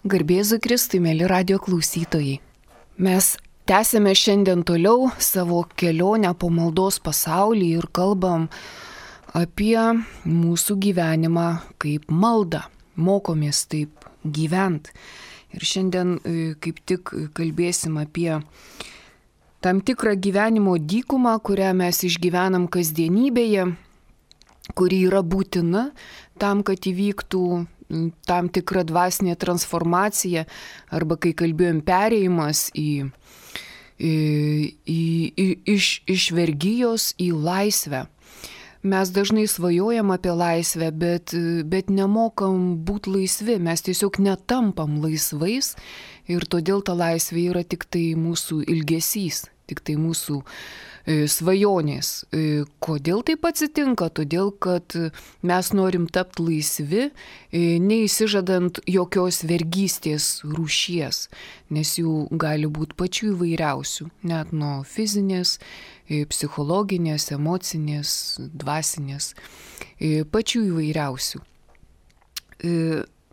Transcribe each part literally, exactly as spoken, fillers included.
Garbėzu Kristui, mėly radio klausytojai. Mes tęsėme šiandien toliau savo kelionę po maldos pasaulį ir kalbam apie mūsų gyvenimą kaip maldą. Mokomės taip gyvent. Ir šiandien kaip tik kalbėsim apie tam tikrą gyvenimo dykumą, kurią mes išgyvenam kasdienybėje, kuri yra būtina tam, kad įvyktų tam tikra dvasinė transformacija, arba kai kalbėjom perėjimas į, į, į, į, iš, iš vergijos į laisvę. Mes dažnai svajojam apie laisvę, bet, bet nemokam būti laisvi, mes tiesiog netampam laisvais ir todėl ta laisvė yra tik tai mūsų ilgesys, tik tai mūsų svajonės. Kodėl taip atsitinka? Todėl, kad mes norim tapti laisvi, neįsižadant jokios vergystės rūšies, nes jų gali būti pačių įvairiausių, net nuo fizinės, psichologinės, emocinės, dvasinės, pačių įvairiausių.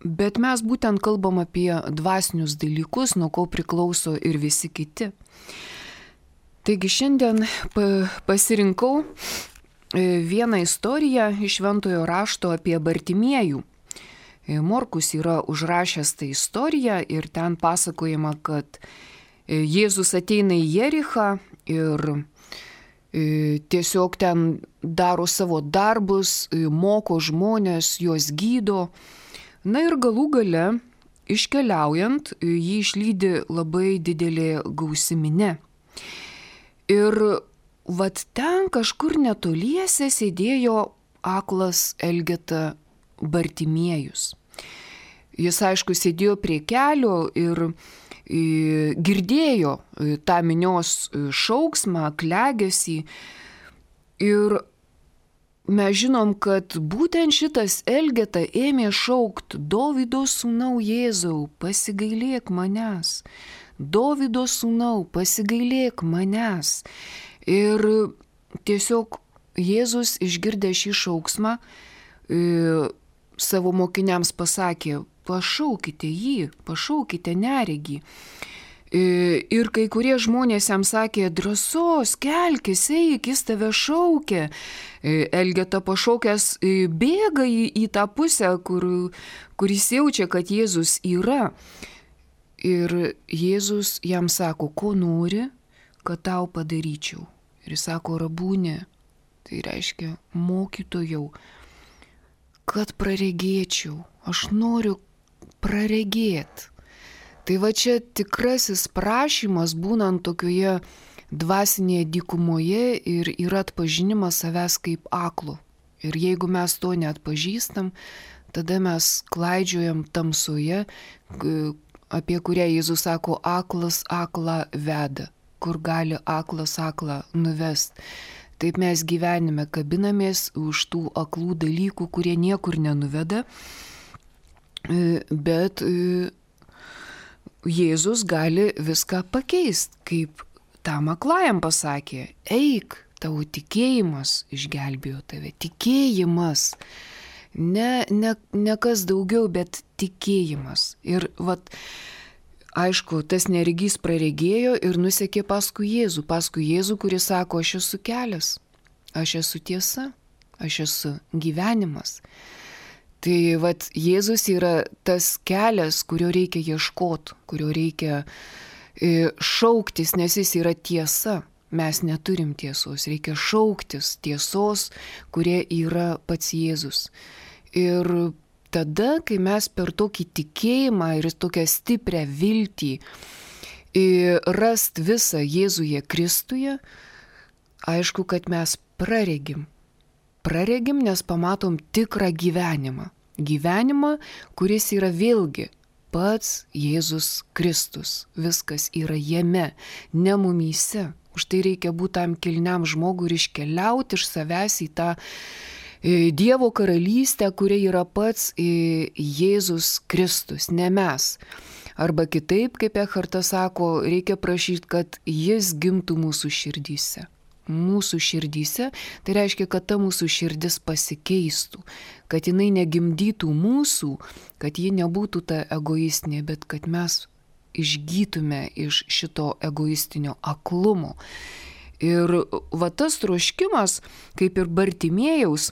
Bet mes būtent kalbam apie dvasinius dalykus, nuo ko priklauso ir visi kiti. Taigi šiandien pasirinkau vieną istoriją iš Šventojo rašto apie Bartimiejų. Morkus yra užrašęs tą istoriją ir ten pasakojama, kad Jėzus ateina į Jerichą ir tiesiog ten daro savo darbus, moko žmonės, juos gydo. Na ir galų gale, iškeliaujant, jį išlydi labai didelė gausi minia. Ir vat ten kažkur netoliese sėdėjo aklas Elgeta Bartimiejus. Jis, aišku, sėdėjo prie kelio ir girdėjo tą minios šauksmą, klegesį. Ir mes žinom, kad būtent šitas Elgeta ėmė šaukti: Dovydo sūnau Jėzau, pasigailėk manęs. Dovydo sūnau, pasigailėk manęs. Ir tiesiog Jėzus išgirdė šį šauksmą, e, savo mokiniams pasakė: pašaukite jį, pašaukite neregį. E, ir kai kurie žmonės jam sakė: drąsos, kelkis, eik, jis tave šaukia. E, Elgeta pašaukęs e, bėga į, į tą pusę, kur, kur jis jaučia, kad Jėzus yra. Ir Jėzus jam sako: ko nori, kad tau padaryčiau? Ir jis sako: rabūnė, tai reiškia mokytojau, kad praregėčiau, aš noriu praregėti. Tai va čia tikrasis prašymas, būnant tokioje dvasinėje dykumoje, ir yra atpažinimas savęs kaip aklo. Ir jeigu mes to neatpažįstam, tada mes klaidžiojam tamsoje, apie kurią Jėzus sako: aklas aklą veda, kur gali aklas aklą nuvest. Taip mes gyvenime kabinamės už tų aklų dalykų, kurie niekur nenuveda, bet Jėzus gali viską pakeisti, kaip tam aklajam pasakė: eik, tavo tikėjimas išgelbėjo tave. Tikėjimas. Ne, ne, ne kas daugiau, bet tikėjimas. Ir vat, aišku, tas neregys praregėjo ir nusekė paskui Jėzų, paskui Jėzų, kuris sako: aš esu kelias, aš esu tiesa, aš esu gyvenimas. Tai vat, Jėzus yra tas kelias, kurio reikia ieškoti, kurio reikia e, šauktis, nes jis yra tiesa. Mes neturim tiesos, reikia šauktis tiesos, kurie yra pats Jėzus. Ir tada, kai mes per tokį tikėjimą ir tokią stiprią viltį rast visą Jėzuje Kristuje, aišku, kad mes praregim. Praregim, nes pamatom tikrą gyvenimą. Gyvenimą, kuris yra vėlgi pats Jėzus Kristus. Viskas yra jame, ne mumyse. Už tai reikia būti tam kilniam žmogui ir iškeliauti iš savęs į tą Dievo karalystę, kuria yra pats Jėzus Kristus, ne mes. Arba kitaip, kaip Ekhartas sako, reikia prašyti, kad jis gimtų mūsų širdyse. mūsų širdyse, tai reiškia, kad ta mūsų širdis pasikeistų, kad jinai negimdytų mūsų, kad ji nebūtų ta egoistinė, bet kad mes išgytume iš šito egoistinio aklumo. Ir va tas troškimas, kaip ir Bartimėjaus,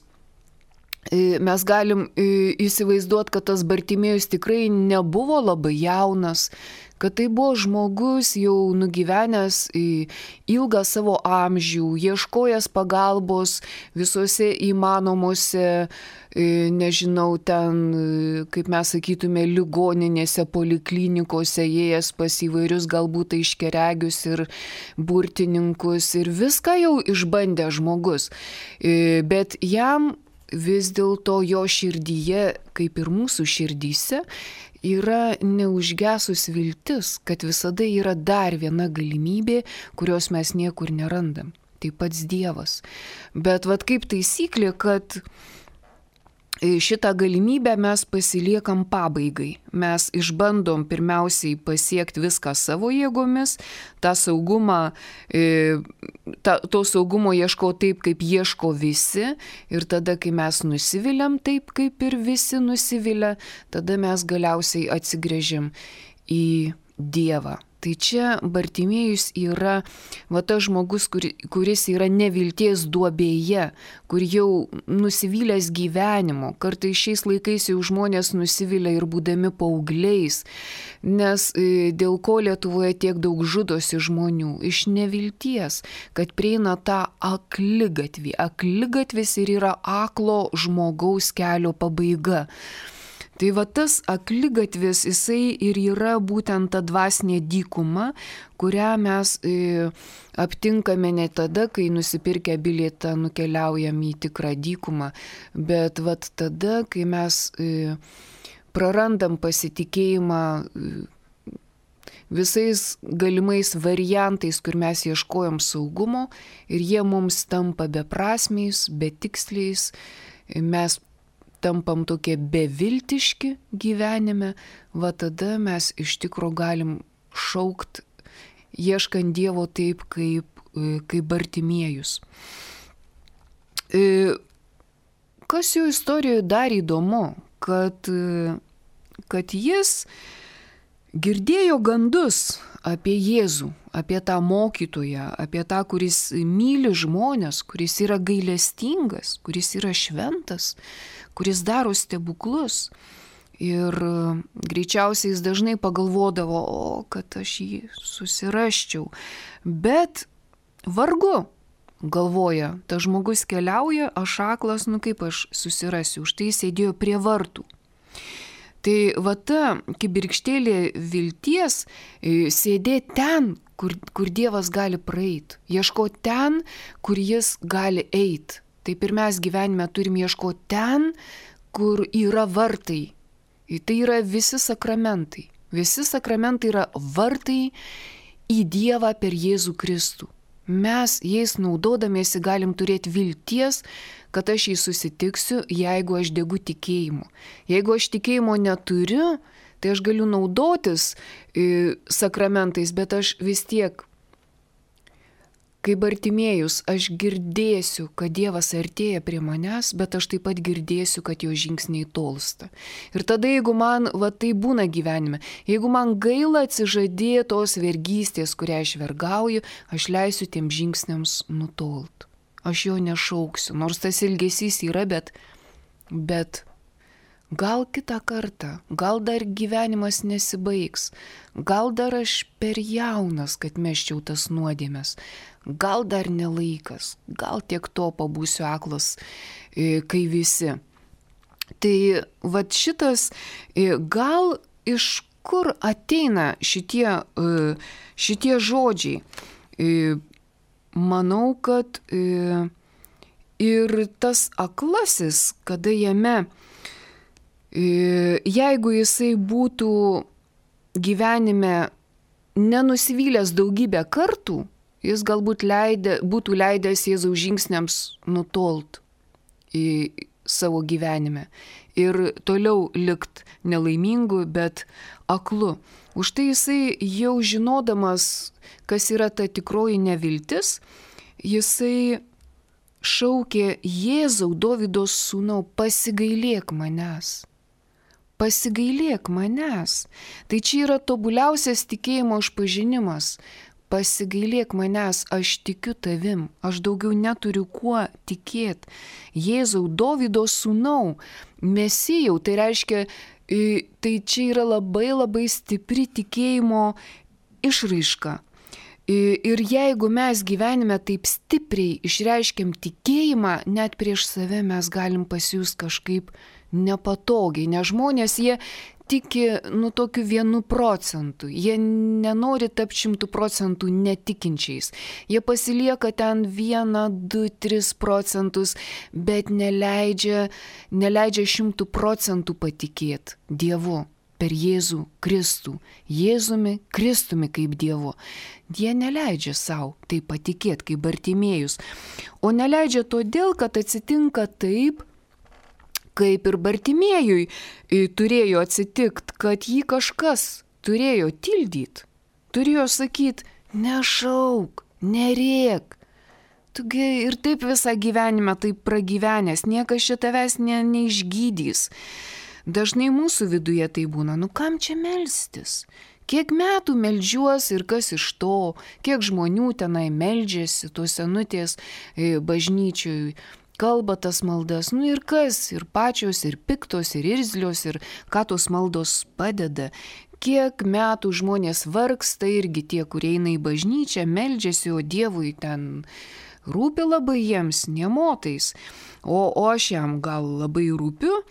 mes galim įsivaizduoti, kad tas Bartimėjus tikrai nebuvo labai jaunas, kad tai buvo žmogus jau nugyvenęs ilgą savo amžių, ieškojęs pagalbos visuose įmanomuose, nežinau, ten, kaip mes sakytume, ligoninėse, poliklinikose, ėjęs pas įvairius galbūt aiškiaregius ir burtininkus ir viską jau išbandė žmogus. Bet jam vis dėlto jo širdyje, kaip ir mūsų širdyse, yra neužgesus viltis, kad visada yra dar viena galimybė, kurios mes niekur nerandam. Tai pats Dievas. Bet vat kaip taisyklė, kad šitą galimybę mes pasiliekam pabaigai. Mes išbandom pirmiausiai pasiekti viską savo jėgomis, tą saugumą, ta, to saugumo ieško taip, kaip ieško visi, ir tada, kai mes nusiviliam taip, kaip ir visi nusivilia, tada mes galiausiai atsigręžim į Dievą. Tai čia Bartimėjus yra va tas žmogus, kur, kuris yra nevilties duobėje, kur jau nusivylęs gyvenimo. Kartais šiais laikais jau žmonės nusivilia ir būdami paaugliais, nes dėl ko Lietuvoje tiek daug žudosi žmonių iš nevilties, kad prieina tą akligatvį. Akligatvis ir yra aklo žmogaus kelio pabaiga. Tai va tas akligatvis, jisai ir yra būtent ta dvasinė dykuma, kurią mes e, aptinkame ne tada, kai nusipirkę bilietą nukeliaujam į tikrą dykumą, bet va tada, kai mes e, prarandam pasitikėjimą e, visais galimais variantais, kur mes ieškojom saugumo ir jie mums tampa beprasmiais, betiksliais, mes tampam tokie beviltiški gyvenime, va tada mes iš tikro galim šaukt, ieškant Dievo taip, kaip, kaip Bartimėjus. Kas jo istorijoje dar įdomu, kad, kad jis girdėjo gandus apie Jėzų, apie tą mokytoją, apie tą, kuris myli žmonės, kuris yra gailestingas, kuris yra šventas, kuris daro stebuklus. Ir greičiausiai jis dažnai pagalvodavo, o, kad aš jį susirasčiau. Bet vargu, galvoja, tas žmogus keliauja, aš aklas, nu kaip aš susirasiu, už tai sėdėjo prie vartų. Tai va ta kibirkštėlė vilties sėdė ten, kur, kur Dievas gali praeiti. Ieško ten, kur jis gali eiti. Taip ir mes gyvenime turim ieškoti ten, kur yra vartai. Tai yra visi sakramentai. Visi sakramentai yra vartai į Dievą per Jėzų Kristų. Mes jais naudodamiesi galim turėti vilties, kad aš jį susitiksiu, jeigu aš degu tikėjimu. Jeigu aš tikėjimo neturiu, tai aš galiu naudotis e, sakramentais, bet aš vis tiek, kaip Bartimėjus, aš girdėsiu, kad Dievas artėja prie manęs, bet aš taip pat girdėsiu, kad jo žingsniai tolsta. Ir tada, jeigu man, va tai būna gyvenime, jeigu man gaila atsižadėtos vergystės, kurią aš vergauju, aš leisiu tiem žingsniams nutolt. Aš jo nešauksiu, nors tas ilgesys yra, bet, bet gal kitą kartą, gal dar gyvenimas nesibaigs, gal dar aš per jaunas, kad meščiau tas nuodėmes, gal dar nelaikas, gal tiek to pabūsiu aklas, kai visi. Tai vat šitas, gal iš kur ateina šitie, šitie žodžiai? Manau, kad ir tas aklasis, kada jame, jeigu jisai būtų gyvenime nenusivylęs daugybę kartų, jis galbūt leidė, būtų leidęs Jėzaus žingsniams nutolt į savo gyvenime ir toliau likt nelaimingu, bet aklu. Už tai jisai jau žinodamas, kas yra ta tikroji neviltis, jisai šaukė: Jėzau, Dovydo sūnau, pasigailėk manęs. Pasigailėk manęs. Tai čia yra tobuliausias tikėjimo išpažinimas. Pasigailėk manęs, aš tikiu tavim, aš daugiau neturiu kuo tikėti. Jėzau, Dovydo sūnau, Mesijau, tai reiškia, tai čia yra labai labai stipri tikėjimo išraiška. Ir jeigu mes gyvenime taip stipriai išreiškiam tikėjimą, net prieš save mes galim pasijusti kažkaip nepatogiai, nes žmonės jie tiki, nu, tokiu vienu procentu, jie nenori tapti šimtų procentų netikinčiais, jie pasilieka ten vieną, du, tris procentus, bet neleidžia, neleidžia šimtų procentų patikėti Dievu. Per Jėzų Kristų, Jėzumi Kristumi kaip Dievu. Jie neleidžia savo tai patikėti kaip Bartimėjus. O neleidžia todėl, kad atsitinka taip, kaip ir Bartimėjui turėjo atsitikti, kad jį kažkas turėjo tildyti. Turėjo sakyti: nešauk, nerėk. Tugi ir taip visą gyvenimą taip pragyvenęs, niekas čia tavęs ne, neišgydys. Dažnai mūsų viduje tai būna: nu kam čia melstis? Kiek metų meldžiuos ir kas iš to, kiek žmonių tenai meldžiasi, tos senutės bažnyčioj, kalba tas maldas, nu ir kas, ir pačios, ir piktos, ir irzlios, ir ką tos maldos padeda. Kiek metų žmonės vargsta, irgi tie, kurie eina į bažnyčią, meldžiasi, o Dievui ten rūpi labai jiems, nemotais. O, o aš jam gal labai rūpiu.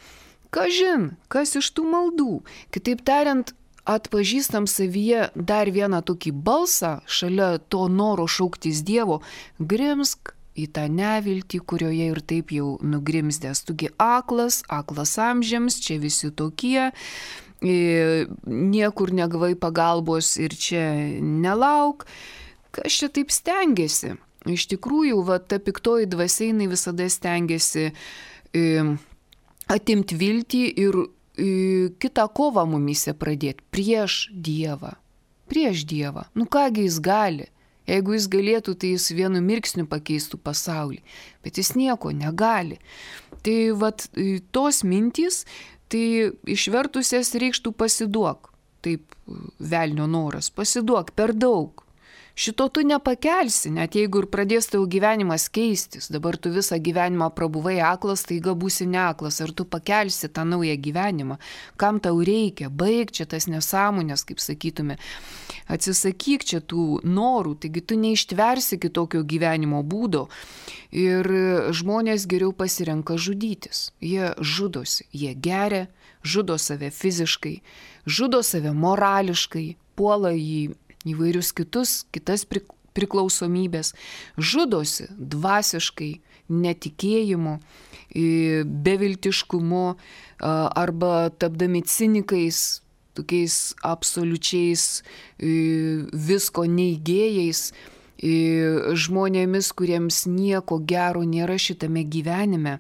Kažin, kas iš tų maldų. Kitaip tariant, atpažįstam savyje dar vieną tokį balsą, šalia to noro šauktis Dievo: grimsk į tą neviltį, kurioje ir taip jau nugrimzdęs. Tugi aklas, aklas amžiams, čia visi tokie, niekur negavai pagalbos ir čia nelauk. Kas čia taip stengiasi? Iš tikrųjų, va, ta piktoji dvasia jinai visada stengiasi e, atimti viltį ir e, kitą kovą mumise pradėti prieš Dievą. Prieš Dievą. Nu kągi jis gali? Jeigu jis galėtų, tai jis vienu mirksniu pakeistų pasaulį. Bet jis nieko negali. Tai vat tos mintys, tai išvertusias reikštų pasiduok. Taip velnio noras. Pasiduok per daug. Šito tu nepakelsi, net jeigu ir pradės tavo gyvenimas keistis. Dabar tu visą gyvenimą prabuvai aklas, taiga būsi neaklas. Ar tu pakelsi tą naują gyvenimą? Kam tau reikia? Baig čia tas nesąmonės, kaip sakytume. Atsisakyk čia tų norų, taigi tu neištversi kitokio gyvenimo būdo. Ir žmonės geriau pasirenka žudytis. Jie žudosi, jie geria, žudo save fiziškai, žudo save morališkai, puola į įvairius kitus, kitas priklausomybės, žudosi dvasiškai, netikėjimu, beviltiškumu arba tapdami cinikais, tokiais absoliučiais visko neigėjais, žmonėmis, kuriems nieko gero nėra šitame gyvenime.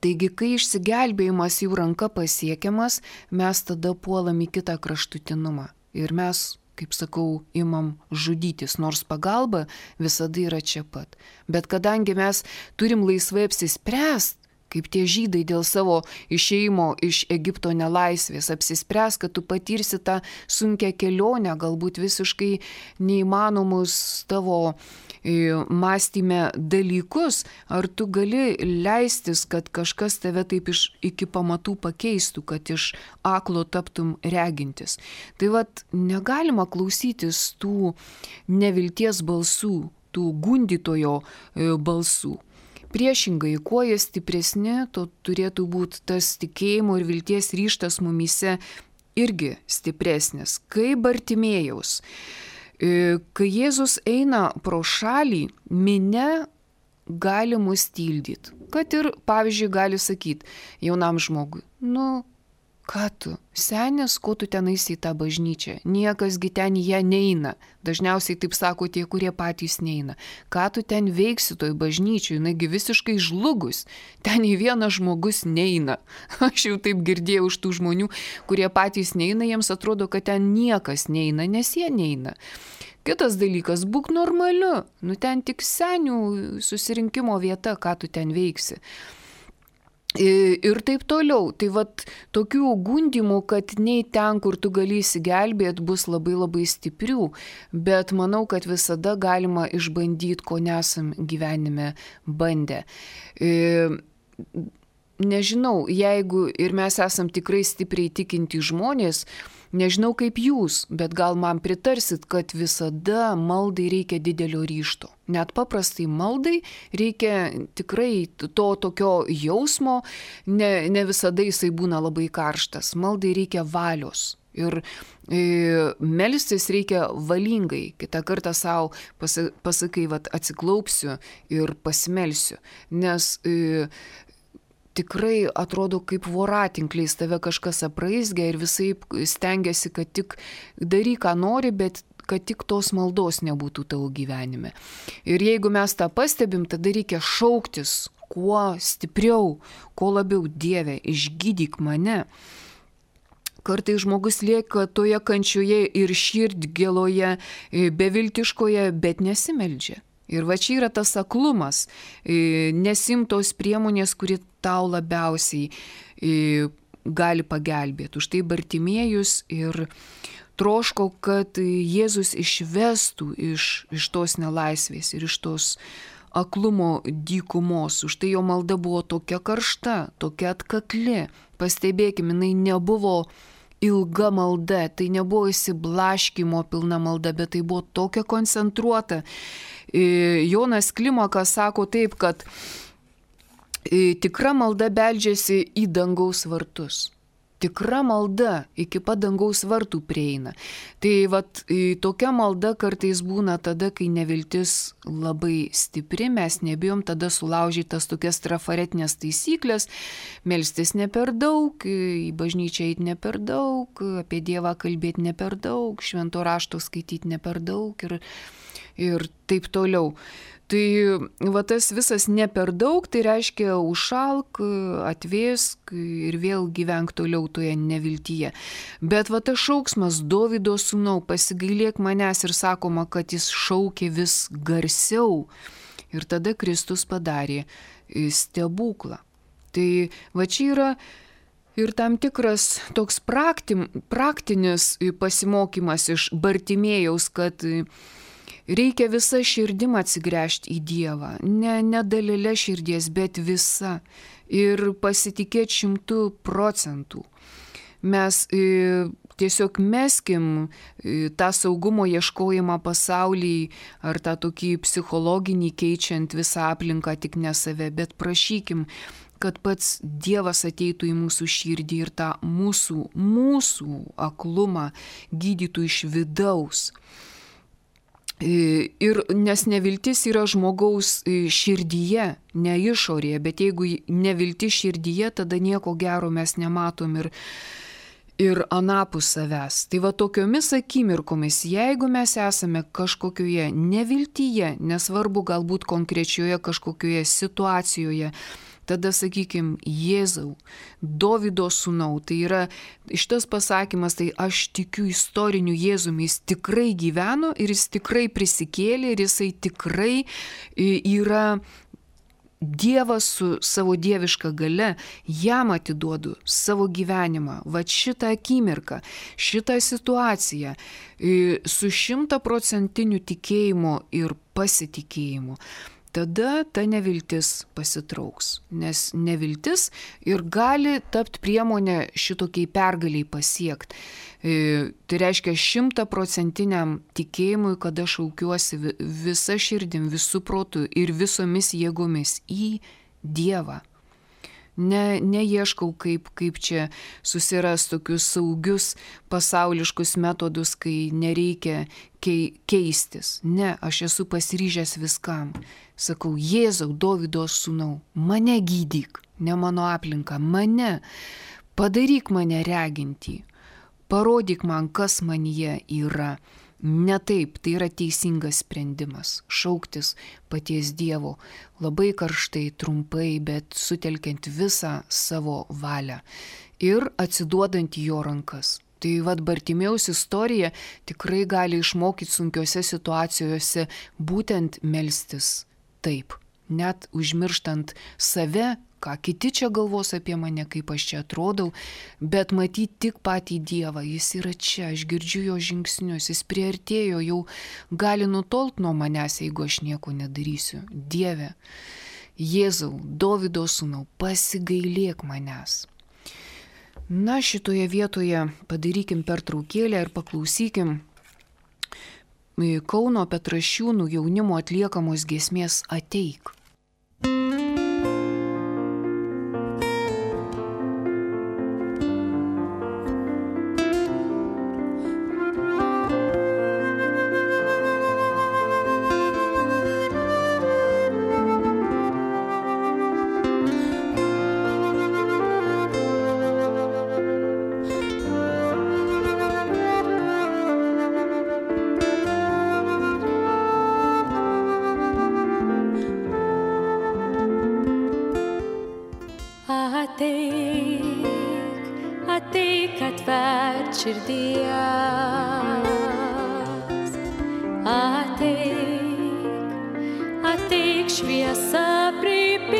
Taigi, kai išsigelbėjimas jau ranka pasiekiamas, mes tada puolam į kitą kraštutinumą. Ir mes, kaip sakau, imam žudytis, nors pagalba visada yra čia pat. Bet kadangi mes turim laisvai apsispręst, kaip tie žydai dėl savo išėjimo iš Egipto nelaisvės, apsispręs, kad tu patirsi tą sunkią kelionę, galbūt visiškai neįmanomus tavo mąstyme dalykus, ar tu gali leistis, kad kažkas tave taip iš, iki pamatų pakeistų, kad iš aklo taptum regintis. Tai vat negalima klausytis tų nevilties balsų, tų gundytojo balsų. Priešingai, kuo jie stipresni, to turėtų būti tas tikėjimo ir vilties ryžtas mumyse irgi stipresnis. Kaip Bartimėjaus. Kai Jėzus eina pro šalį, minia gali mus tildyti. Kad ir, pavyzdžiui, gali sakyti jaunam žmogui: nu, Ką tu, senis, ko tu ten eisi į tą bažnyčią? Niekasgi ten į ją neina. Dažniausiai taip sako tie, kurie patys neina. Ką tu ten veiksi toj bažnyčiai? Jinagi visiškai žlugus. Ten į vieną žmogus neina. Aš jau taip girdėjau iš tų žmonių, kurie patys neina, jiems atrodo, kad ten niekas neina, nes jie neina. Kitas dalykas, būk normaliu. Nu ten tik senių susirinkimo vieta, ką tu ten veiksi. Ir taip toliau. Tai vat tokių gundimų, kad nei ten, kur tu gali įsigelbėti, bus labai labai stiprių, bet manau, kad visada galima išbandyti, ko nesam gyvenime bandę. Nežinau, jeigu ir mes esam tikrai stipriai tikinti žmonės, nežinau kaip jūs, bet gal man pritarsit, kad visada maldai reikia didelio ryžto. Net paprastai maldai reikia tikrai to tokio jausmo, ne, ne visada jisai būna labai karštas. Maldai reikia valios. Ir e, melstis reikia valingai. Kitą kartą savo pasa, pasakai, vat, atsiklaupsiu ir pasimelsiu. Nes e, tikrai atrodo kaip voratinkliais tave kažkas apraizgia ir visai stengiasi, kad tik daryk, ką nori, bet kad tik tos maldos nebūtų tavo gyvenime. Ir jeigu mes tą pastebim, tada reikia šauktis kuo stipriau, kuo labiau, Dieve, išgydyk mane. Kartais žmogus lieka toje kančioje ir širdgėloje, beviltiškoje, bet nesimeldžia. Ir va čia yra tas aklumas, nesimtos priemonės, kuri tau labiausiai gali pagelbėti. Už tai Bartimiejus ir troško, kad Jėzus išvestų iš, iš tos nelaisvės ir iš tos aklumo dykumos. Už tai jo malda buvo tokia karšta, tokia atkakli. Pastebėkime, jinai nebuvo ilga malda, tai nebuvo įsiblaškymo pilna malda, bet tai buvo tokia koncentruota. Jonas Klimakas sako taip, kad tikra malda beldžiasi į dangaus vartus. Tikra malda iki pat dangaus vartų prieina. Tai vat, tokia malda kartais būna tada, kai neviltis labai stipri, mes nebijom tada sulaužytas tokias trafaretinės taisyklės, melstis ne per daug, į bažnyčią eiti ne per daug, apie Dievą kalbėti ne per daug, švento rašto skaityti ne per daug ir, ir taip toliau. Tai va tas visas ne per daug, tai reiškia užšalk, atvėsk ir vėl gyvenk toliau toje neviltyje. Bet va tas šauksmas Dovydo sūnau, pasigailėk manęs ir sakoma, kad jis šaukė vis garsiau. Ir tada Kristus padarė stebuklą. Tai va čia yra ir tam tikras toks praktim, praktinis pasimokymas iš Bartimėjaus, kad reikia visą širdim atsigręžti į Dievą, ne, ne dalelė širdies, bet visa. Ir pasitikėti šimtų procentų. Mes e, tiesiog meskim e, tą saugumo ieškojimą pasaulį ar tą tokį psichologinį keičiant visą aplinką, tik ne save, bet prašykim, kad pats Dievas ateitų į mūsų širdį ir tą mūsų, mūsų aklumą gydytų iš vidaus. Ir nes neviltis yra žmogaus širdyje, ne išorėje, bet jeigu neviltis širdyje, tada nieko gero mes nematom ir, ir anapus savęs. Tai va tokiomis akimirkomis, jeigu mes esame kažkokioje neviltyje, nesvarbu galbūt konkrečioje kažkokioje situacijoje, tada sakykim, Jėzau, Dovydo sūnau, tai yra šitas pasakymas, tai aš tikiu istoriniu Jėzumi, jis tikrai gyveno ir jis tikrai prisikėlė ir jisai tikrai yra Dievas su savo dieviška galia, jam atiduodu savo gyvenimą, va šitą akimirką, šitą situaciją su šimtaprocentiniu tikėjimu ir pasitikėjimu. Tada ta neviltis pasitrauks, nes neviltis ir gali tapti priemonė šitokiai pergaliai pasiekti. E, tai reiškia šimtaprocentiniam tikėjimui, kada šaukiuosi visa širdim, visų protų ir visomis jėgomis į Dievą. Ne, neieškau, kaip, kaip čia susiras tokius saugius pasauliškus metodus, kai nereikia kei, keistis. Ne, aš esu pasiryžęs viskam. Sakau, Jėzau, Dovydo sūnau, mane gydyk, ne mano aplinką, mane. Padaryk mane regintį, parodyk man, kas manyje yra. Ne taip, tai yra teisingas sprendimas - šauktis paties Dievo labai karštai, trumpai, bet sutelkiant visą savo valią ir atsiduodant į jo rankas. Tai vad Bartimėjaus istorija tikrai gali išmokyti sunkiose situacijose būtent melstis taip, net užmirštant save, ką kiti čia galvos apie mane, kaip aš čia atrodau, bet matyti tik patį Dievą, jis yra čia, aš girdžiu jo žingsnius, jis priartėjo, jau gali nutolt nuo manęs, jeigu aš nieko nedarysiu. Dieve, Jėzau, Dovydo sūnau, pasigailėk manęs. Na, šitoje vietoje padarykim pertraukėlę ir paklausykim Kauno Petrašiūnų jaunimo atliekamos giesmės Ateik. Širdies. Ateik, ateik šviesą pripildyk,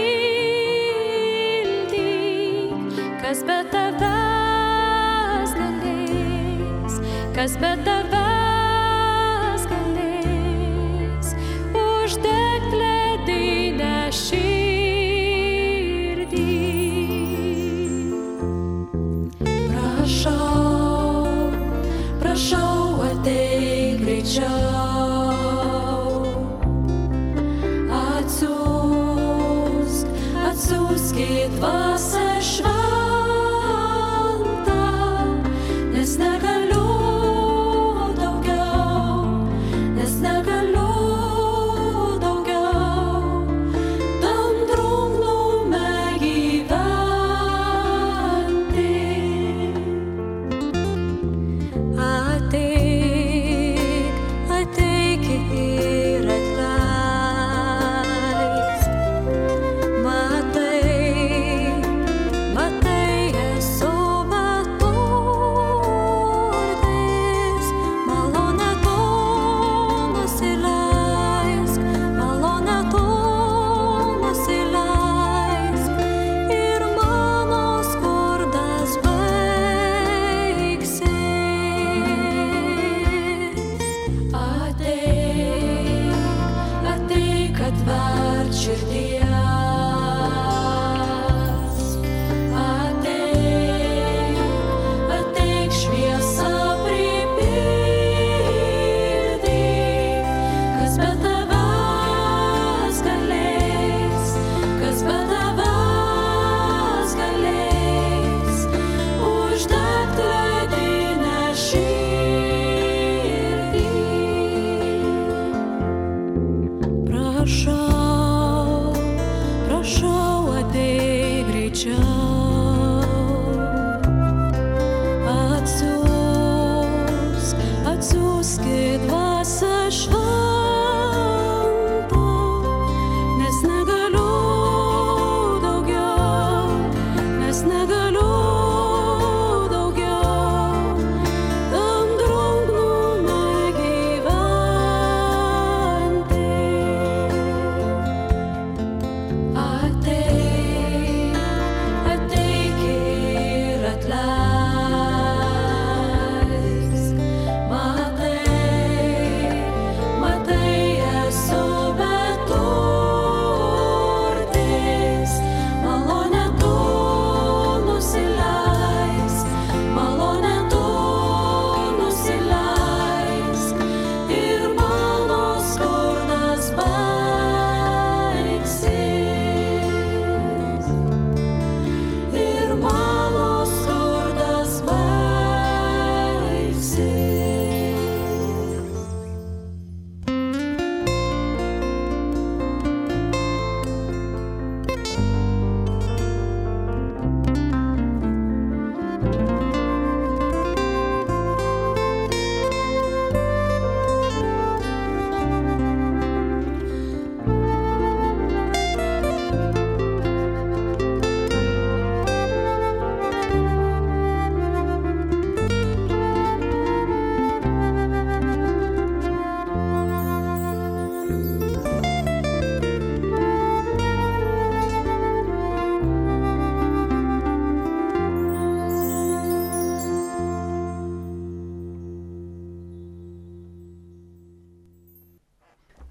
kas be tavęs galės, kas be tavęs galės, uždegt ledinę širdį. Prašau, prašau, ateik greičiau, atsiųsk, atsiųsk į dvasią šventą, nes negaliu daugiau, nes negaliu daugiau, tam drungnume gyventi. Ateik, ateik ir atleisk. Matai, matai, esu matuota,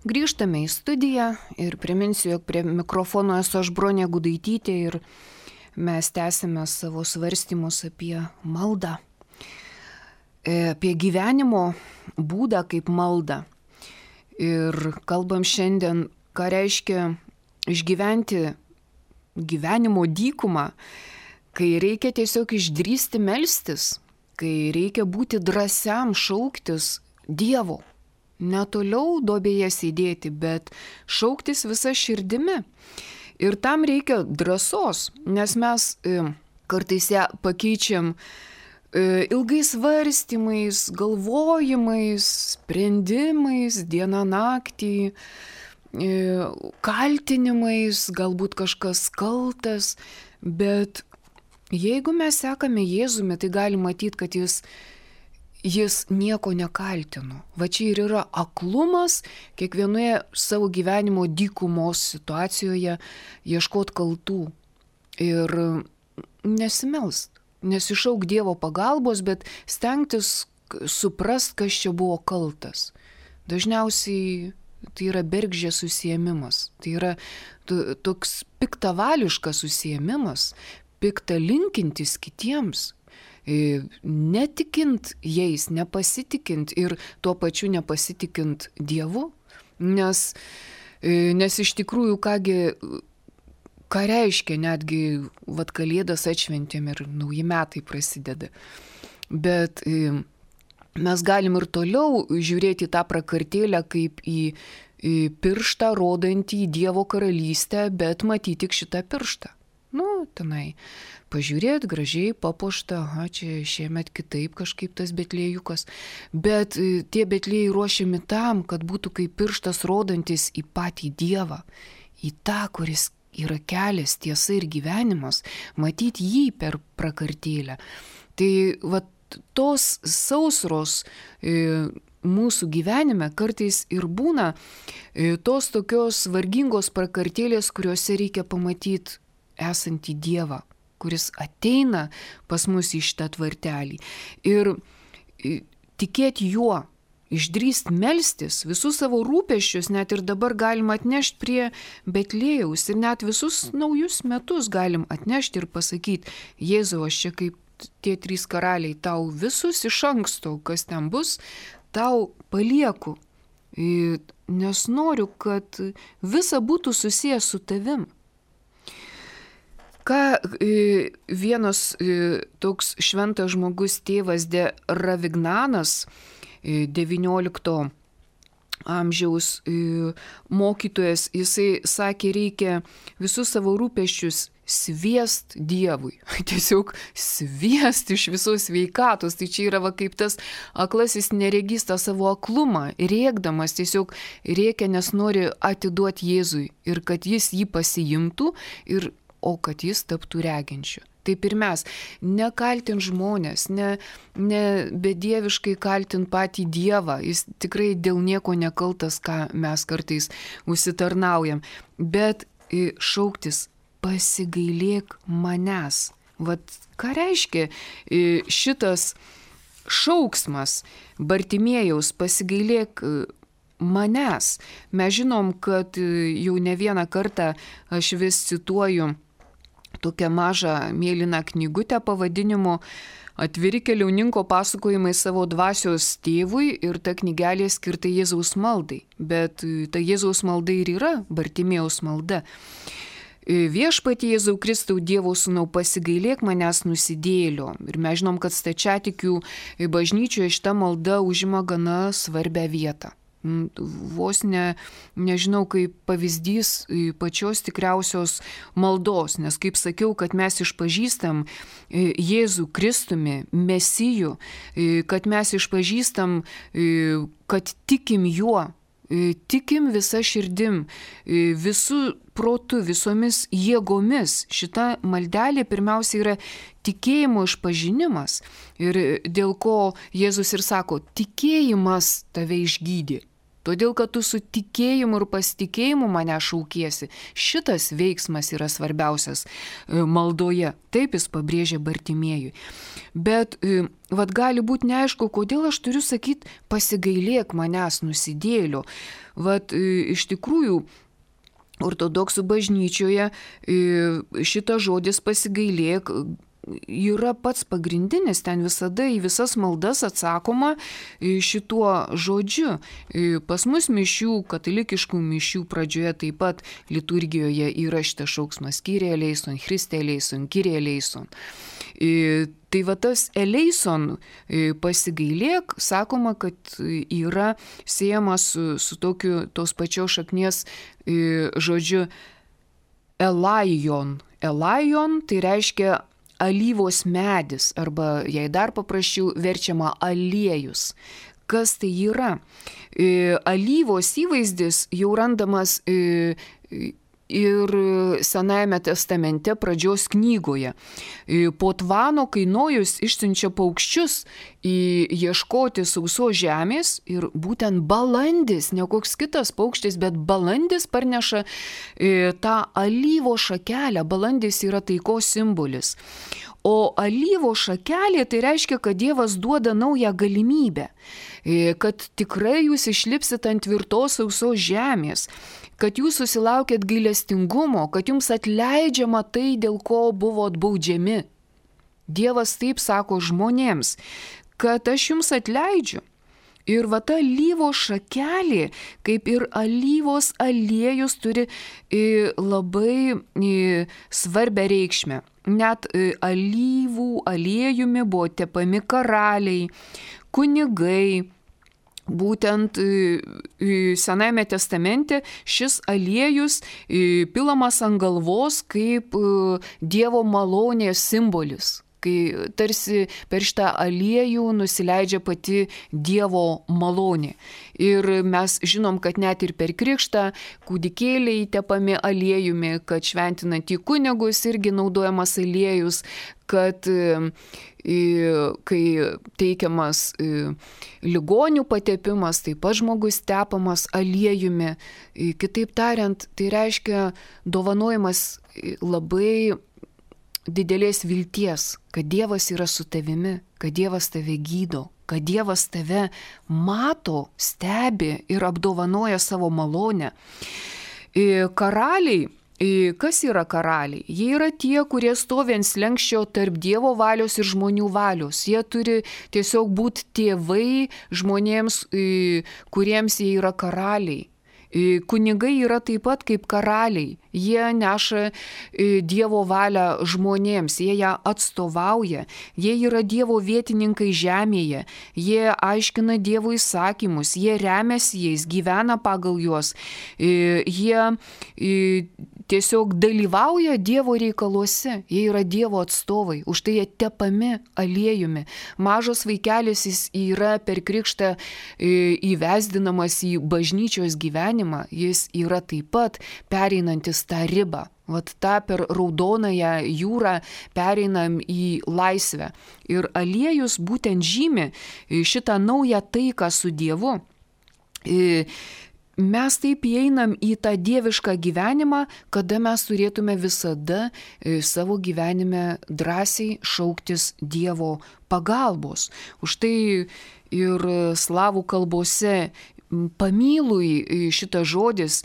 Grįžtame į studiją ir priminsiu, jog prie mikrofono esu aš Bronė Gudaitytė ir mes tęsime savo svarstymus apie maldą, apie gyvenimo būdą kaip maldą. Ir kalbam šiandien, ką reiškia išgyventi gyvenimo dykumą, kai reikia tiesiog išdrįsti melstis, kai reikia būti drąsiam šauktis Dievo. Ne toliau duobėje sėdėti, bet šauktis visa širdimi. Ir tam reikia drąsos, nes mes e, kartais ją pakeičiam e, ilgais svarstymais, galvojimais, sprendimais, dieną naktį, e, kaltinimais, galbūt kažkas kaltas, bet jeigu mes sekame Jėzumi, tai galim matyti, kad jis Jis nieko nekaltino. Va čia ir yra aklumas kiekvienoje savo gyvenimo dykumos situacijoje ieškot kaltų ir nesimelst, nesišauk Dievo pagalbos, bet stengtis suprast, kas čia buvo kaltas. Dažniausiai tai yra bergždžias užsiėmimas, tai yra toks piktavališkas užsiėmimas, pikta linkintis kitiems. Netikint jais, nepasitikint ir tuo pačiu nepasitikint Dievu, nes, nes iš tikrųjų, kągi, ką reiškia netgi vat Kalėdas atšventėm ir nauji metai prasideda. Bet mes galim ir toliau žiūrėti tą prakartėlę kaip į, į pirštą rodantį į Dievo karalystę, bet matyti tik šitą pirštą. Nu, tenai pažiūrėt, gražiai papuošta, aha, čia šiemet kitaip kažkaip tas betlėjukas. Bet tie betlėjai ruošiami tam, kad būtų kaip pirštas rodantis į patį Dievą, į tą, kuris yra kelias, tiesa ir gyvenimas, matyti jį per prakartėlę. Tai va tos sausros e, mūsų gyvenime kartais ir būna e, tos tokios vargingos prakartėlės, kuriuose reikia pamatyti esantį Dievą, kuris ateina pas mus į šitą tvartelį. Ir tikėti juo, išdrįst melstis, visus savo rūpesčius net ir dabar galim atnešti prie Betlėjaus ir net visus naujus metus galim atnešti ir pasakyti, Jėzau, aš čia kaip tie trys karaliai, tau visus iš anksto, kas ten bus, tau palieku, nes noriu, kad visa būtų susijęs su tavim. Ką vienas toks šventas žmogus tėvas de Ravignanas, devyniolikto amžiaus mokytojas, jisai sakė, reikia visus savo rūpesčius sviest Dievui. Tiesiog sviest iš visos sveikatos. Tai čia yra va kaip tas aklasis neregys tą savo aklumą, rėkdamas tiesiog rėkia, nes nori atiduoti Jėzui ir kad jis jį pasiimtų ir o kad jis taptų reginčiu. Taip ir mes, nekaltint žmonės, ne, ne bedieviškai kaltint patį Dievą, jis tikrai dėl nieko nekaltas, ką mes kartais užsitarnaujam, bet šauktis pasigailėk manęs. Vat ką reiškia šitas šauksmas Bartimėjaus pasigailėk manęs? Mes žinom, kad jau ne vieną kartą aš vis cituoju tokią mažą mėlyną knygutę pavadinimu Atviri keliauninko pasakojimai savo dvasios tėvui ir ta knygelė skirta Jėzaus maldai. Bet ta Jėzaus malda ir yra Bartimėjaus malda. Viešpatie Jėzau Kristau Dievo sūnau, pasigailėk manęs nusidėjėlio. Ir mes žinom, kad stačiatikių bažnyčioje šita malda užima gana svarbią vietą. Vos ne, nežinau, kaip pavyzdys pačios tikriausios maldos, nes kaip sakiau, kad mes išpažįstam Jėzų Kristumi, Mesiju, kad mes išpažįstam, kad tikim juo, tikim visa širdim, visų protu, visomis jėgomis. Šita maldelė pirmiausia yra tikėjimo išpažinimas ir dėl ko Jėzus ir sako, tikėjimas tave išgydė. todėl kad tu su tikėjimu ir pasitikėjimu mane šaukiesi. Šitas veiksmas yra svarbiausias maldoje. Taip jis pabrėžė Bartimiejui. Bet vat gali būti neaišku, kodėl aš turiu sakyti, pasigailėk manęs nusidėlio. Vat iš tikrųjų, ortodoksų bažnyčioje šitas žodis pasigailėk yra pats pagrindinis, ten visada į visas maldas atsakoma šituo žodžiu. Pas mus mišių, katalikiškų mišių pradžioje taip pat liturgijoje yra šitas šauksmas Kyrie eleison, Christe eleison, Kyrie eleison. Tai va tas eleison pasigailėk, sakoma, kad yra siejamas su, su tokiu tos pačios šaknies žodžiu elaion. Elaion tai reiškia alyvos medis, arba jei dar paprasčiau verčiama aliejus. Kas tai yra? Alyvos įvaizdis jau randamas ir Senajame testamente pradžios knygoje. Po Tvano, kai Nojus išsiunčia paukščius ieškoti sausos žemės ir būtent balandis, ne koks kitas paukštis, bet balandis parneša tą alyvo šakelę. Balandis yra taikos simbolis. O alyvo šakelė tai reiškia, kad Dievas duoda naują galimybę, kad tikrai jūs išlipsit ant tvirtos sausos žemės, kad jūs susilaukėt gailestingumo, kad jums atleidžiama tai, dėl ko buvot baudžiami. Dievas taip sako žmonėms, kad aš jums atleidžiu. Ir va ta alyvo šakelė, kaip ir alyvos aliejus, turi labai svarbią reikšmę. Net alyvų aliejumi buvo tepami karaliai, kunigai. Būtent Senajame testamente šis aliejus pilamas ant galvos kaip Dievo malonės simbolis, kai tarsi per šitą aliejų nusileidžia pati Dievo malonė. Ir mes žinom, kad net ir per krikštą kūdikėliai tepami aliejumi, kad šventinant į kunigus irgi naudojamas aliejus, kad kai teikiamas ligonių patepimas, taip pat žmogus tepamas aliejumi. Kitaip tariant, tai reiškia dovanojimas labai didelės vilties, kad Dievas yra su tavimi, kad Dievas tave gydo, kad Dievas tave mato, stebi ir apdovanoja savo malonę. Karaliai, kas yra karaliai? Jie yra tie, kurie stovi ant slenksčio tarp Dievo valios ir žmonių valios. Jie turi tiesiog būti tėvai žmonėms, kuriems jie yra karaliai. Kunigai yra taip pat kaip karaliai. Jie neša Dievo valią žmonėms, jie ją atstovauja, jie yra Dievo vietininkai žemėje, jie aiškina Dievo įsakymus, jie remiasi jais, gyvena pagal juos, jie tiesiog dalyvauja Dievo reikaluose, jie yra Dievo atstovai, už tai jie tepami aliejumi. Mažas vaikelis jis yra per krikštą įvesdinamas į bažnyčios gyvenimą, jis yra taip pat pereinantis tą ribą. Vat tą per raudonąją jūrą pereinam į laisvę. Ir aliejus būtent žymi šitą naują taiką su Dievu. Mes taip įeinam į tą dievišką gyvenimą, kada mes turėtume visada savo gyvenime drąsiai šauktis Dievo pagalbos. Už tai ir slavų kalbose pamylui šitas žodis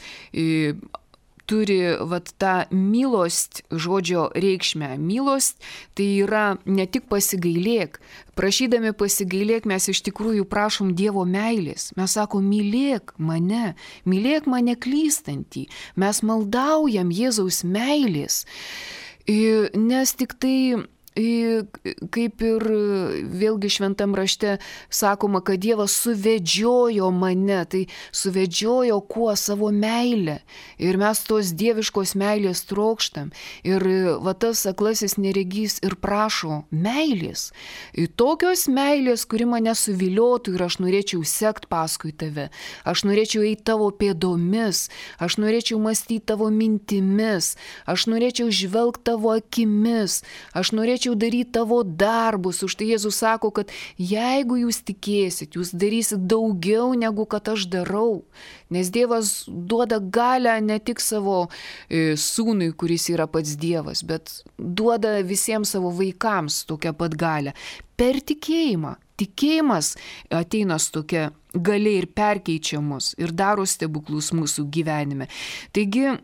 turi vat tą milost žodžio reikšmę. Milost tai yra ne tik pasigailėk. Prašydami pasigailėk mes iš tikrųjų prašom Dievo meilės. Mes sakom, mylėk mane, mylėk mane klystantį. Mes maldaujam Jėzaus meilės. Nes tik tai kaip ir vėlgi šventam rašte sakoma, kad Dievas suvedžiojo mane, tai suvedžiojo kuo? Savo meilę. Ir mes tos dieviškos meilės trokštam. Ir va tas aklasis neregys ir prašo meilės. Tokios meilės, kuri mane suviliotų ir aš norėčiau sekt paskui tave. Aš norėčiau eiti tavo pėdomis. Aš norėčiau mąstyti tavo mintimis. Aš norėčiau žvelgti tavo akimis. Aš norėčiau norėčiau daryti tavo darbus. Už tai Jėzus sako, kad jeigu jūs tikėsit, jūs darysit daugiau negu kad aš darau. Nes Dievas duoda galią ne tik savo e, sūnui, kuris yra pats Dievas, bet duoda visiems savo vaikams tokią pat galią. Per tikėjimą. Tikėjimas ateina su tokia galia ir perkeičia mus ir daro stebuklus mūsų gyvenime. Taigi,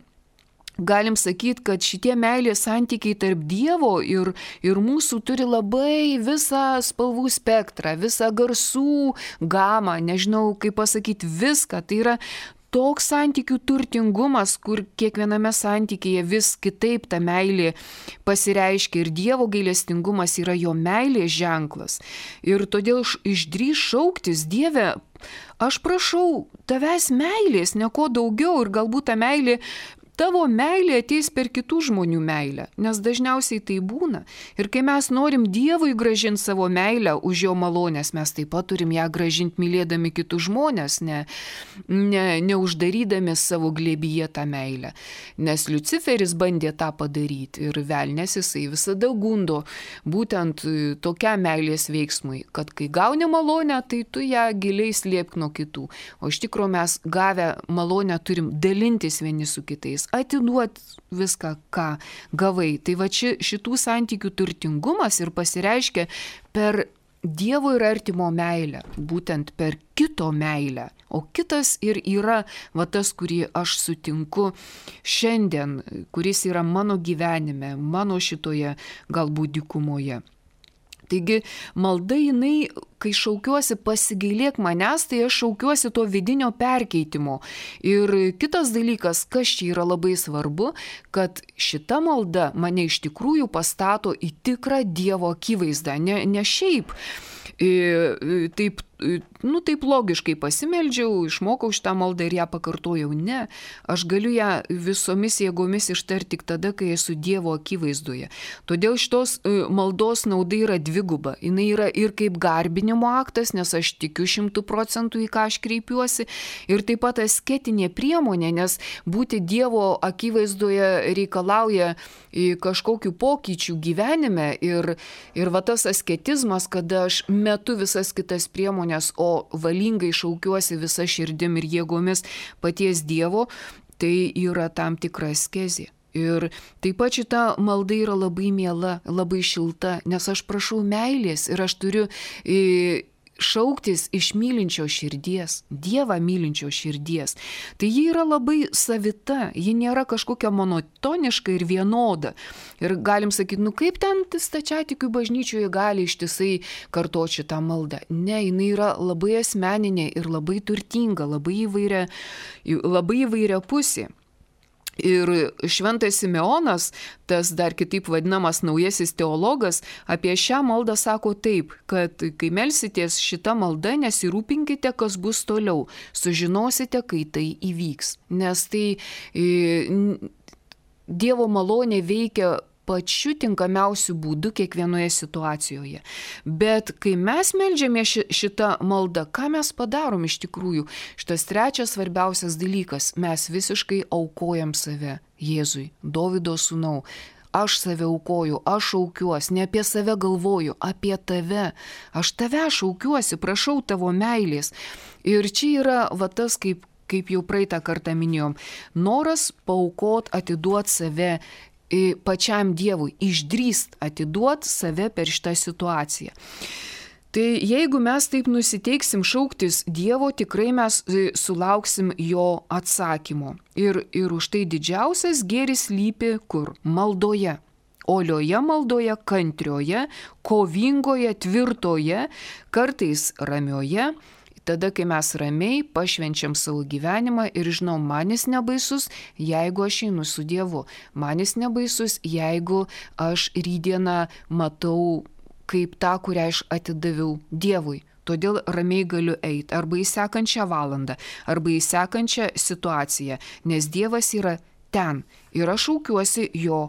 galim sakyti, kad šitie meilės santykiai tarp Dievo ir, ir mūsų turi labai visą spalvų spektrą, visą garsų gamą, nežinau kaip pasakyti, viską. Tai yra toks santykių turtingumas, kur kiekviename santykyje vis kitaip ta meilė pasireiškia ir Dievo gailestingumas yra jo meilės ženklas. Ir todėl išdrįs šauktis: Dieve, aš prašau tavęs meilės, nieko daugiau, ir galbūt ta meilė tavo meilė ateis per kitų žmonių meilę, nes dažniausiai tai būna. Ir kai mes norim Dievui gražinti savo meilę už jo malonės, mes taip pat turim ją gražinti mylėdami kitus žmonės, ne, ne, neuždarydami savo glėbyje tą meilę. Nes Liuciferis bandė tą padaryti ir velnės jisai visada gundo būtent tokiam meilės veiksmui, kad kai gauni malonę, tai tu ją giliai slėpk nuo kitų. O iš tikrųjų mes gavę malonę turim dalintis vieni su kitais, atiduoti viską, ką gavai. Tai va ši, šitų santykių turtingumas ir pasireiškia per Dievo ir artimo meilę, būtent per kito meilę. O kitas ir yra va tas, kurį aš sutinku šiandien, kuris yra mano gyvenime, mano šitoje galbūt dykumoje. Taigi malda jinai, kai šaukiuosi pasigailėk manęs, tai aš šaukiuosi to vidinio perkeitimo. Ir kitas dalykas, kas čia yra labai svarbu, kad šita malda mane iš tikrųjų pastato į tikrą Dievo akivaizdą, ne, ne šiaip. E, taip, nu, taip logiškai pasimeldžiau, išmokau šitą maldą ir ją pakartojau. Ne, aš galiu ją visomis jėgomis ištarti tik tada, kai esu Dievo akivaizdoje. Todėl šitos maldos nauda yra dviguba. Jis yra ir kaip garbinimo aktas, nes aš tikiu šimtų procentų į ką aš kreipiuosi, ir taip pat asketinė priemonė, nes būti Dievo akivaizdoje reikalauja kažkokių pokyčių gyvenime ir, ir va tas asketizmas, kada aš metu visas kitas priemonės, o valingai šaukiuosi visą širdim ir jėgomis paties Dievo, tai yra tam tikra askezė. Ir taip pat šita malda yra labai miela, labai šilta, nes aš prašau meilės ir aš turiu e, šauktis iš mylinčio širdies, Dievą mylinčio širdies. Tai ji yra labai savita, ji nėra kažkokia monotoniška ir vienoda. Ir galim sakyti, nu kaip ten stačiatikių bažnyčioje gali ištisai kartoti šitą maldą. Ne, jinai yra labai asmeninė ir labai turtinga, labai įvairia, labai įvairia pusė. Ir šventas Simeonas, tas dar kitaip vadinamas naujasis teologas, apie šią maldą sako taip, kad kai melsitės šitą maldą, nesirūpinkite, kas bus toliau, sužinosite, kai tai įvyks. Nes tai e, Dievo malonė veikia pačiu tinkamiausiu būdu kiekvienoje situacijoje. Bet kai mes meldžiame šitą maldą, ką mes padarom iš tikrųjų? Šitas trečias svarbiausias dalykas, mes visiškai aukojam save Jėzui, Dovydo sūnau. Aš save aukoju, aš šaukiuosi, ne apie save galvoju, apie tave. Aš tave šaukiuosi, prašau tavo meilės. Ir čia yra va tas, kaip, kaip jau praeitą kartą minėjom, noras paaukot, atiduot save pačiam Dievui, išdrįst atiduot save per šitą situaciją. Tai jeigu mes taip nusiteiksim šauktis Dievo, tikrai mes sulauksim jo atsakymo. Ir, ir už tai didžiausias gėris slypi kur? Maldoje. Olioje maldoje, kantrioje, kovingoje, tvirtoje, kartais ramioje. Tada, kai mes ramiai pašvenčiam savo gyvenimą ir žinom, manis nebaisus, jeigu aš einu su Dievu. Manis nebaisus, jeigu aš rydieną matau kaip tą, kurią aš atidaviau Dievui. Todėl ramiai galiu eiti arba į sekančią valandą, arba į sekančią situaciją, nes Dievas yra ten ir aš šaukiuosi jo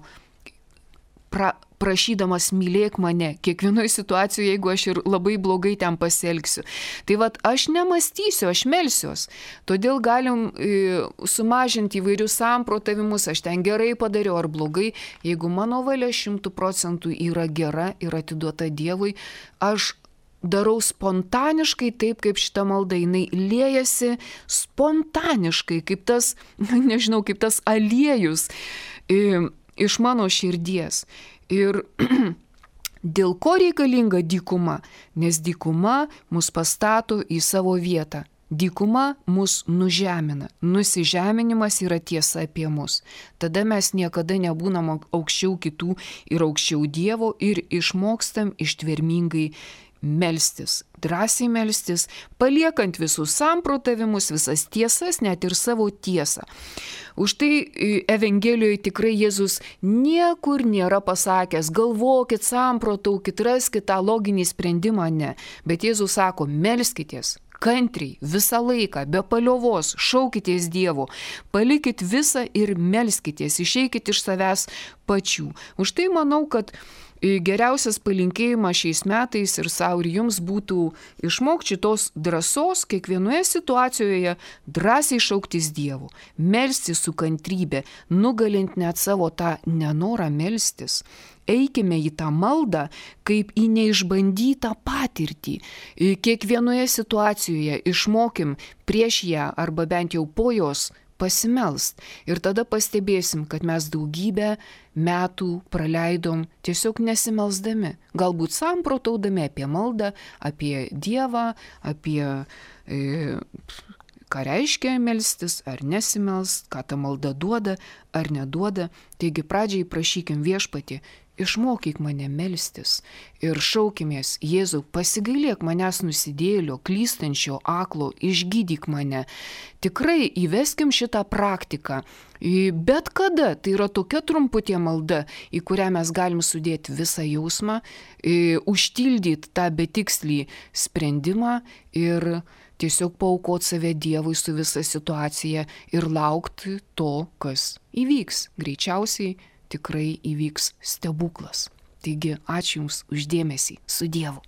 pra, prašydamas mylėk mane, kiekvienoje situacijoje, jeigu aš ir labai blogai ten pasielgsiu. Tai vat aš nemąstysiu, aš melsiuos. Todėl galim e, sumažinti įvairius samprotavimus, aš ten gerai padariau ar blogai. Jeigu mano valia šimtų procentų yra gera ir atiduota Dievui, aš darau spontaniškai taip, kaip šita malda, jinai liejasi spontaniškai, kaip tas, nežinau, kaip tas aliejus e, iš mano širdies. Ir dėl ko reikalinga dykuma? Nes dykuma mus pastato į savo vietą. Dykuma mus nužemina. Nusižeminimas yra tiesa apie mus. Tada mes niekada nebūnam aukščiau kitų ir aukščiau Dievo ir išmokstam ištvermingai melstis, drąsiai melstis, paliekant visus samprotavimus, visas tiesas, net ir savo tiesą. Už tai Evangelijoje tikrai Jėzus niekur nėra pasakęs, galvokit, samprotaukit, raskit tą loginį sprendimą, ne. Bet Jėzus sako, melskitės kantriai, visą laiką, be paliovos, šaukitės Dievo, palikit visą ir melskitės, išeikit iš savęs pačių. Už tai manau, kad geriausias palinkėjimas šiais metais ir savo ir jums būtų išmokti šitos drąsos kiekvienoje situacijoje drąsiai šauktis Dievu, melstis su kantrybė, nugalint net savo tą nenorą melstis. Eikime į tą maldą kaip į neišbandytą patirtį. Kiekvienoje situacijoje išmokim prieš ją arba bent jau po jos pasimelst. Ir tada pastebėsim, kad mes daugybę metų praleidom tiesiog nesimelsdami. Galbūt samprotaudami apie maldą, apie Dievą, apie e, ką reiškia melstis, ar nesimelst, ką ta malda duoda, ar neduoda. Taigi pradžiai prašykim Viešpatį, išmokyk mane melstis ir šaukimės, Jėzau, pasigailėk manęs nusidėjėlio, klystančio, aklo, išgydyk mane. Tikrai įveskim šitą praktiką. Bet kada, tai yra tokia trumputė malda, į kurią mes galim sudėti visą jausmą, užtildyti tą betikslį sprendimą ir tiesiog paaukoti save Dievui su visa situacija ir laukti to, kas įvyks. Greičiausiai tikrai įvyks stebuklas. Taigi, ačiū Jums už dėmesį. Su Dievu.